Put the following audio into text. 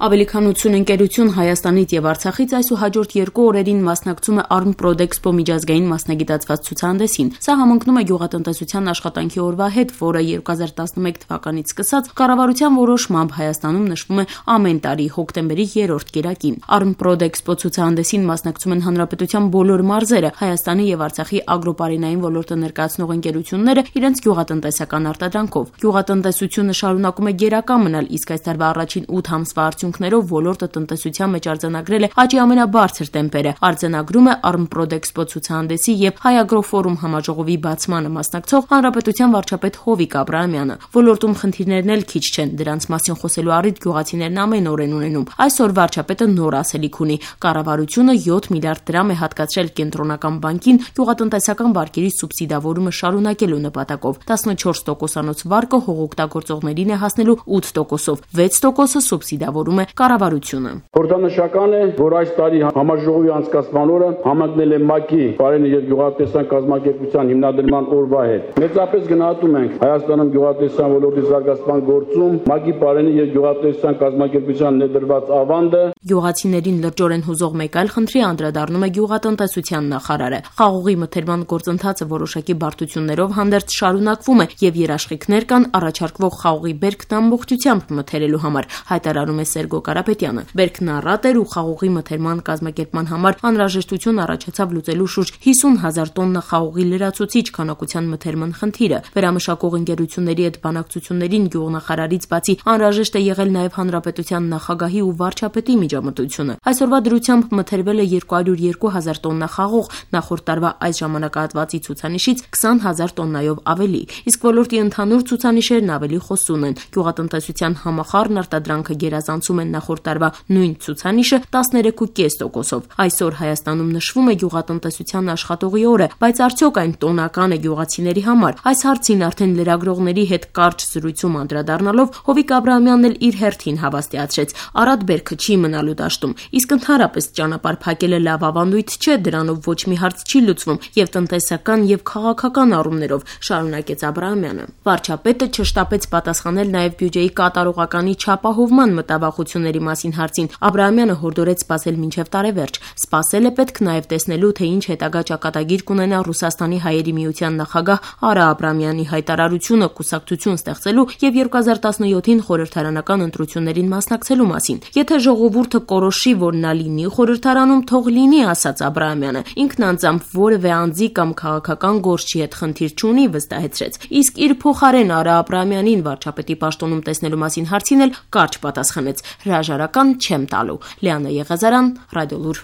Ավելի քան 80 ընկերություն Հայաստանից եւ Արցախից այսուհաջորդ 2 օրերին մասնակցում է Arm-Prodexpo միջազգային մասնագիտացված ցուցահանդեսին։ Սա համընկնում է գյուղատնտեսության աշխատանքի օրվա հետ, որը 2011 թվականից սկսած կառավարության որոշմամբ Հայաստանում նշվում է ամեն տարի հոկտեմբերի 3-րդ կիրակին։ Arm-Prodexpo ցուցահանդեսին մասնակցում են հանրապետության բոլոր մարզերը, Հայաստանի եւ Արցախի ագրոպարենային ոլորտը ներկայացնող ընկերությունները իրենց գյուղատնտեսական արտադրանքով։ Գյուղատնտեսությունը շարունակում է գերակա մնալ, իսկ այս տարվա առաջին 8 ամսվա արդյունքներով ոլորտը տնտեսության մեջ արձանագրել է աճի ամենաբարձր տեմպերը, արձանագրում է Arm-Prodexpo ցուցահանդեսի եւ Հայ ագրոֆորում համաժողովի բացմանը մասնակցող հանրապետության վարչապետ Հովիկ Աբրահամյանը։ Ոլորտում խնդիրներն էլ քիչ չեն, դրանց մասին խոսելու առիթ գյուղացիներն ամեն օր են ունենում։ Այսօր վարչապետը նոր ասելիք ունի։ Կառավարությունը 7 միլիարդ դրամ է հատկացրել կենտրոնական բանկին գյուղատնտեսական վարկերի սուբսիդավորումը շարունակելու նպատակով։ 14%-անոց վարկը հողօգտագործողներին է հասնելու 8%-ով, 6%-ը սուբսիդավորում է կառավարությունը։ Խորհրդանշական է, որ այս տարի համաժողովի անցկացման օրը համընկնել է ՄԱԿ-ի Պարենի եւ գյուղատնտեսական կազմակերպության հիմնադրման օրվա հետ։ Մեծապես գնահատում ենք Հայաստանում գյուղատնտեսության ոլորտի զարգացման գործում ՄԱԿ-ի Պարենի եւ գյուղատնտեսական կազմակերպության ներդրված ավանդը։ Գյուղացիներին լրջորեն հուզող մեկ այլ խնդրի անդրադառնում է գյուղատնտեսության նախարարը։ Խաղողի մթերման գործընթացը որոշակի բարդություններով հանդերձ շարունակվում է եւ երաշխիքներ կան առաջարկվող խաղողի բերքն ամբողջությամբ մթերելու համար, հայտարարում է Սերգո Կարապետյանը։ Բերքն առատ էր ու խաղողի մթերման կազմակերպման համար անհրաժեշտություն առաջացավ լուծելու շուրջ 50,000 տոննա խաղողի լրացուցիչ քանակության մթերման խնդիրը։ Վերամշակող ընկերությունների հետ բանակցություններին գյուղնախարարից բացի անհրաժեշտ է եղել նաեւ հանրապետության նախագահի ու վարչապետի միջամտությունը։ Այսօրվա դրությամբ մթերվել է 202,000 տոննա խաղող, նախորդ տարվա այս ժամանակահատվածի ցուցանիշից 20,000 տոննայով ավելի, իսկ ոլորտի ընդհանուր ցուցանիշերն ավելի խոսուն են։ Գյուղատնտեսության համախառն արտադրանքը գերազանցում են նախորդ տարվա նույն ցուցանիշը 13.5%-ով։ Այսօր Հայաստանում նշվում է գյուղատնտեսության աշխատողի օրը, բայց արդյոք այն տոնական է գյուղացիների համար։ Այս հարցին արդեն լրագրողների հետ կարճ զրույցում անդրադառնալով Հովիկ Աբրահամյանն էլ իր հերթին հավաստիացրեց. առատ բերքը չի մնալու դաշտում, իսկ ընդհանրապես ճանապարհ փակելը լավ ավանդույթ չէ, դրանով ոչ մի հարց չի լուծվում եւ տնտեսական եւ քաղաքական առումներով, շարունակեց Աբրահամյանը։ Վարչապետը չշտապեց պատասխանել նաեւ բյուջեի կատարողականի չապահովման մտավախությունների մասին հարցին։ Աբրահամյանը հորդորեց սպասել մինչև տարեվերջ։ Սպասել է պետք նաև տեսնելու, թե ինչ հետագա ճակատագիր կունենա Ռուսաստանի հայերի միության նախագահ Արա Աբրամյանի հայտարարությունը կուսակցություն ստեղծելու եւ 2017-ին խորհրդարանական ընտրություններին մասնակցելու մասին։ Եթե ժողովուրդը կորոշի, որ նա լինի խորհրդարանում, թող լինի, ասաց Աբրահամյանը։ Ինքն անձամբ որևէ անձի կամ քաղաքական գործչի հետ խնդիր չունի, վստահեցրեց։ Իսկ իր փոխարեն Արա Աբրահամյանին վարչապետի պաշտոնում տեսնելու մասին հարցին էլ կարճ պատասխանեց. հրաժարական չեմ տալու։ Լիանա Եղազարյան, Ռադիոլուր։